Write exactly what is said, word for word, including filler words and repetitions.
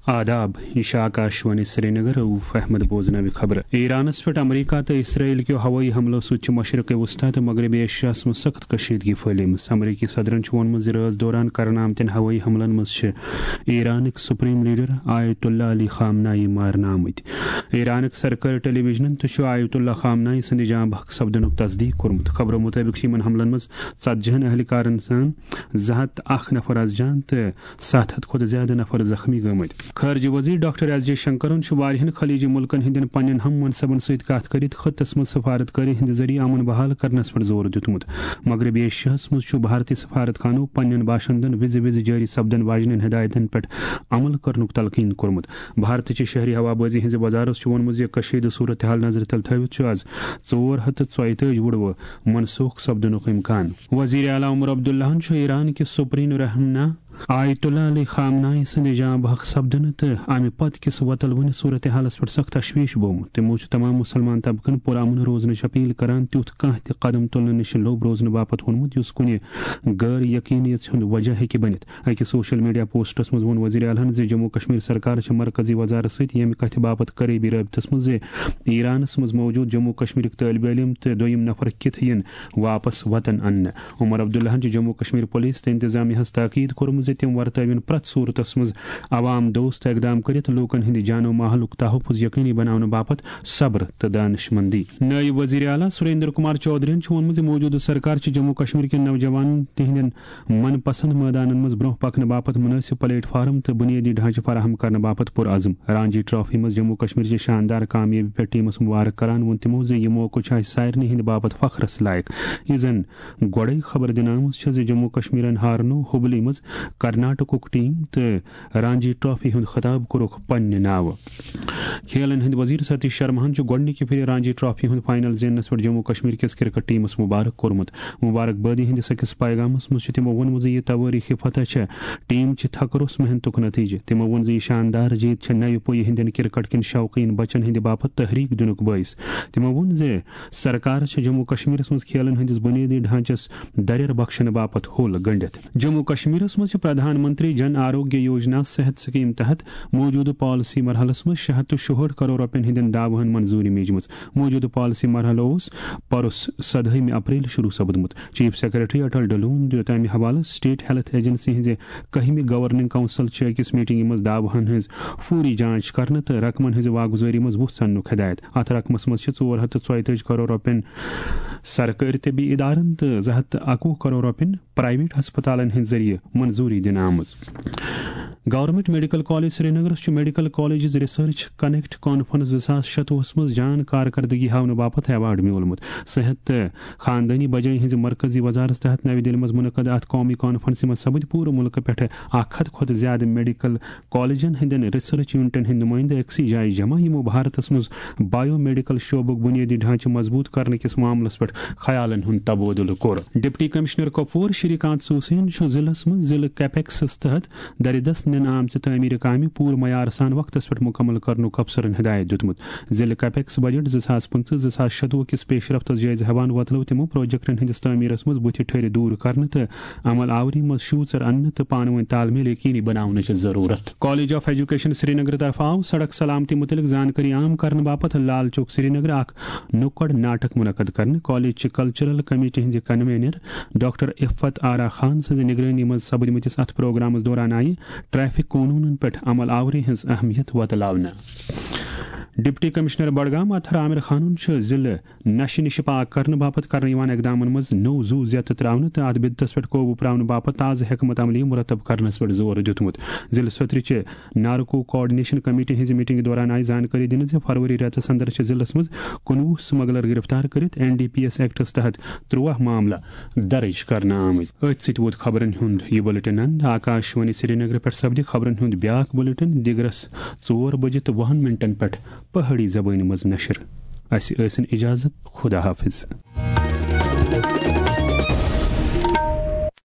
آداب، یہِ چھِ آکاشوانی سرینگر، رؤف احمد بوزناوِ خبرٕ۔ ایرانس پٮ۪ٹھ امریکہ تہٕ اسرائیل کیو ہوٲیی حملو سۭتۍ چھِ مشرق وسطی تہٕ مغربی ایشیاہس منٛز سخت کشیدگی پھٔہلیمٕژ۔ امریکی صدرن چھُ ووٚنمُت زِ رٲژ دوران کرنہٕ آمتٮ۪ن ہوٲیی حملن منٛز چھِ ایرانٕکۍ سپریم لیڈر آیت اللہ علی خامنائی مارنہٕ آمٕتۍ۔ ایرانٕکۍ سرکٲرۍ ٹیلی ویژنن تہِ چھُ آیت اللہ خامنائی سٕنٛدِ جاں بحق سپدنُک تصدیق کوٚرمُت۔ خبرو مُطٲبِق چھِ یِمن حملن منٛز ژتجی ہن اہلکارن سان زٕ ہتھ تہٕ اکھ نفر از جان تہٕ ستھ ہتھ کھۄتہٕ زیادٕ نفر زخمی گٔمٕتۍ۔ خارجہ وزیر ڈاکٹر ایس جے شنکرن چھُ واریاہن خلیجی ملکن ہٕنٛدٮ۪ن پننٮ۪ن ہم منصبن سۭتۍ کتھ کٔرِتھ خطس منٛز سفارت کٲری ہٕنٛدِ ذٔریعہٕ امن بحال کرنس پٮ۪ٹھ زور دیُتمُت۔ مغربی ایشیاہس منٛز چھُ بھارتی سفارت خانو پننٮ۪ن باشندن وِزِ وِزِ جٲری سپدن واجنٮ۪ن ہدایتن پٮ۪ٹھ عمل کرنُک تلقین کوٚرمُت۔ بھارتٕچہِ شہری ہوابازی ہٕنٛزِ وزارت چھُ ووٚنمُت زِ کشیدٕ صورتحال نظرِ تل تھٲوِتھ چھُ از ژور ہتھ تہٕ ژۄیہِ تٲجۍ وُڑوٕ منسوخ سپدنُک امکان۔ وزیر اعلیٰ عمر عبداللہن چھُ ایران کِس سپریم رہنما آیت اللہ علی خامنائی سٕنٛدِ جاں بحق سپدنہٕ تہٕ امہِ پتہٕ کِس وۄتلوٕنہِ صورتحالس پٮ۪ٹھ سخت تشویش بومُت۔ تِمو چھُ تمام مسلمان طبقن پرامن روزنٕچ اپیل کران تیُتھ کانٛہہ تہِ قدم تُلنہٕ نِش لوٚب روزنہٕ باپتھ ووٚنمُت، یُس کُنہِ غٲر یقینیت ہُنٛد وجہ ہیٚکہِ بٔنِتھ۔ أکِس سوشل میڈیا پوسٹس منٛز ووٚن وزیر اعلیٰ ہن زِ جموں کشمیر سرکار چھِ مرکزی وزارت سۭتۍ ییٚمہِ کتھِ باپتھ قریبی رٲبطس منٛز زِ ایرانس منٛز موجود جموں کشمیرٕکۍ طٲلبہِ علم تہٕ دوٚیِم نفر کِتھ یِن واپس وطن اننہٕ۔ عمر عبداللہن چھِ جموں کشمیر پولیس تہٕ انتظامیہ ہس تاکید کوٚرمُت زِ تِم ورتٲوِن پرٛٮ۪تھ صورتس منٛز عوام دوست اقدام کٔرِتھ لوٗکن ہٕنٛدِ جان و مالُک تحفظ یقینی بناونہٕ باپتھ صبر تہٕ دانشمندی۔ نٲیِب وزیر اعلیٰ سریندر کمار چودھرین چھُ ووٚنمُت زِ موجودٕ سرکار چھِ جموں کشمیر کٮ۪ن نوجوانن تِہنٛدٮ۪ن من پسند مٲدانن منٛز برونٛہہ پکنہٕ باپتھ مناسب پلیٹ فارم تہٕ بنیٲدی ڈھانچہٕ فراہم کرنہٕ باپتھ پُرعزم۔ رانجی ٹرافی منٛز جموں کشمیر چہِ شاندار کامیٲبی پٮ۪ٹھ ٹیمس مبارک کران ووٚن تِمو زِ یہِ موقعہٕ چھُ اسہِ سارنٕے ہٕنٛدِ باپتھ فخرس لایق۔ یہِ زن گۄڈے خبر دِنہٕ آمٕژ چھےٚ زِ جموں کشمیرن ہارنوو حبلی منٛز کرناٹکُک ٹیم تہٕ رانجی ٹرافی ہُنٛد خطاب کوٚرُکھ پننہِ ناوٕ۔ کھیلن ہٕنٛدۍ وزیر ستیش شرماہن چھُ گۄڈٕنِکہِ پھِرِ رانجی ٹرافی ہُنٛد فائنل زیننس پٮ۪ٹھ جموں کشمیر کِس کرکٹ ٹیمس مبارک کوٚرمُت۔ مبارک بٲدی ہٕنٛدِس أکِس پیغامس منٛز چھُ تِمو ووٚنمُت زِ یہِ توٲریخی فتح چھےٚ ٹیم چہِ تھکروٚس محنتُک نتیجہٕ۔ تِمو ووٚن زِ یہِ شاندار جیٖت چھےٚ نوِ پُیہِ ہٕنٛدٮ۪ن کرکٹ کٮ۪ن شوقیٖن بچن ہٕنٛدِ باپتھ تحریک دِنُک بٲعث۔ تِمو ووٚن زِ سرکار چھےٚ جموں کشمیرس منٛز کھیلن ہٕنٛدِس بُنیٲدی ڈھانچس دریر بخشنہٕ باپتھ ہوٚل گنڈِتھ۔ جموں کشمیرس منٛز چھِ پردھان منتری جن آروگیہ یوجنا صحت سکیم تحت موجودٕ پالیسی مرحلس منٛز شےٚ ہتھ تہٕ شُہٲٹھ کرور رۄپین ہٕنٛدٮ۪ن دعوہن منظوٗری میجمٕژ۔ موجودٕ پالیسی مرحلہٕ اوس پرُس سدہٲمہِ اپریل شروع سپدمُت۔ چیف سیکرٹری اٹل ڈلون دیُت امہِ حوالہٕ سٹیٹ ہیلتھ ایجنسی ہٕنٛزِ کٔہمہِ گورننگ کونسل چہِ أکِس میٹنگہِ منٛز دعوہن ہٕنٛز فوری جانچ کرنہٕ تہٕ رقمن ہٕنٛزِ واگزٲری منٛز وُژھ ژننُک ہدایت۔ اتھ رقمس منٛز چھِ ژور ہتھ تہٕ ژۄیہِ تٲجۍ کرور رۄپین سرکٲرۍ طبی ادارن تہٕ زٕ ہتھ تہٕ اکوُہ کرور رۄپین پرائیویٹ ہسپتالن ہٕنٛدۍ ذٔریعہٕ منظوٗری دِنہٕ آمٕژ۔ گورنمنٹ میڈیکل کالج سرینگرس چھُ medical colleges research connect conference زٕ ساس شتوُہس منٛز جان کارکردگی ہاونہٕ باپتھ ایوارڈ میوٗلمُت۔ صحت تہٕ خاندٲنی بجٲے ہٕنٛزِ مرکزی وزارت تحت نَوِ دِلہِ منٛز منعقد اَتھ قومی کانفرنسہِ منٛز سپٕدۍ پوٗرٕ مُلکہٕ پٮ۪ٹھٕ اَکھ ہَتھ کھۄتہٕ زِیٛادٕ میڈیکل کالجن ہٕنٛدٮ۪ن ریسرچ یونٹن ہٕنٛدۍ نُمٲیندٕ أکسٕے جایہِ جمع، یِمو بھارتس منٛز بایو میڈیکل شعبُک بُنیٲدی ڈھانچہٕ مضبوٗط کرنہٕ کِس معاملس پٮ۪ٹھ خیالن ہُنٛد تبادلہٕ کوٚر۔ ڈپٹی کمشنر کۄپوور شری کانت سوسین چھُ ضلعس منٛز ضلعہٕ کیپیکسس تحت درِ دست نِنہٕ آمژِ تعمیٖرِ کامہِ پوٗرٕ معیار سان وقتس پٮ۪ٹھ مُکمل کرنُک افسرن ہدایت دیُتمُت۔ ضلعہٕ کیپیکس بجٹ زٕ ساس پٕنٛژٕہ زٕ ساس شتوُہ کِس پیش رفتس جٲیزٕ ہٮ۪وان وۄتلٲو تِمو پروجیکٹن ہٕنٛدِس تعمیٖرس منٛز بُتھِ ٹھٔرِ دوٗر کرنہٕ تہٕ عمل آوری منٛز شوٗژر اننہٕ تہٕ پانہٕ وٲنۍ تال میل یقینی بناونٕچ ضروٗرت۔ کالج آف ایجوکیشن سرینگر طرفہٕ آو سڑک سلامتی مُتعلق زانکٲری عام کرنہٕ باپتھ لال چوک سرینگر اکھ نُکڑ ناٹک منعقد کرنہٕ۔ کالج چہِ کلچرل کمیٹی ہٕنٛزِ کنوینر ڈاکٹر عفت آرا خان سٕنٛزِ نگرٲنی منٛز سپدمٕتِس اتھ پروگرامس دوران آیہِ ٹریفک قونوٗنن پٮ۪ٹھ عمل آوری ہٕنٛز اہمیت وۄتلاونہٕ۔ ڈپٹی کمشنر بڈگام اطہر عامر خانن چھُ ضلعہٕ نشہٕ نِش پاک کرنہٕ باپتھ کرنہٕ یِوان اقدامن منٛز نوٚو زُو زیتہٕ ترٛاونہٕ تہٕ اتھ بدعتس پٮ۪ٹھ قوبوٗ پراونہٕ باپتھ تازٕ حکمت عملی مرتب کرنس پٮ۪ٹھ زور دیُتمُت۔ ضلعہٕ سوترِ چہِ نارکو کوآرڈینیشن کمیٹی ہٕنٛزِ میٹنگہِ دوران آیہِ زانکٲری دِنہٕ زِ فروری رٮ۪تس اندر چھِ ضلعس منٛز کُنوُہ سمگلر گرفتار کٔرِتھ این ڈی پی ایس ایکٹس تحت ترٛواہ معاملہٕ درج کرنہٕ آمٕتۍ۔ أتھۍ سۭتۍ ووت خبرن ہُنٛد یہِ بُلٹن اند۔ آکاشوانی سرینگر پٮ۪ٹھ سپدِ خبرن ہُنٛد بیاکھ بُلٹن دِگرس ژور بجہِ تہٕ وُہن منٹن پٮ۪ٹھ پہٲڑی زبٲنۍ منٛز نشر۔ اسہِ ٲسِن اجازت، خدا حافظ۔